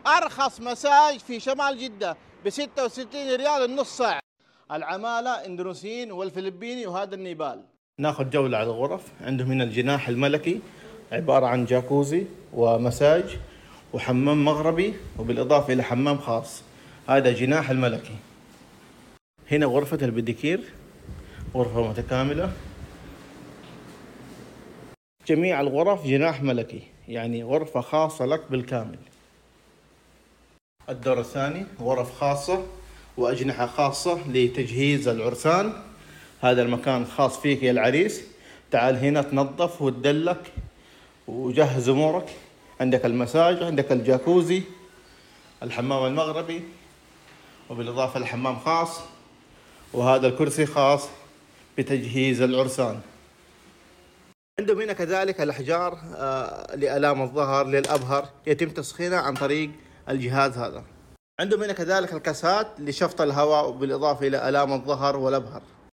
أرخص مساج في شمال جدة ب66 ريال النص ساعة. العمالة اندونيسيين والفلبيني وهذا النيبال. ناخذ جولة على الغرف. عندهم هنا الجناح الملكي عبارة عن جاكوزي ومساج وحمام مغربي وبالإضافة إلى حمام خاص. هذا جناح الملكي. هنا غرفة البديكير، غرفة متكاملة. جميع الغرف جناح ملكي، يعني غرفة خاصة لك بالكامل. الدور الثاني غرف خاصة وأجنحة خاصة لتجهيز العرسان. هذا المكان خاص فيك يا العريس. تعال هنا تنظف وتدلك وجهز أمورك. عندك المساج، عندك الجاكوزي، الحمام المغربي، وبالإضافة لحمام خاص، وهذا الكرسي خاص بتجهيز العرسان. عندهم هنا كذلك الأحجار لآلام الظهر للأبهر، يتم تسخينها عن طريق الجهاز هذا. عندهم هنا كذلك الكاسات لشفط الهواء وبالإضافة إلى آلام الظهر والأبهر.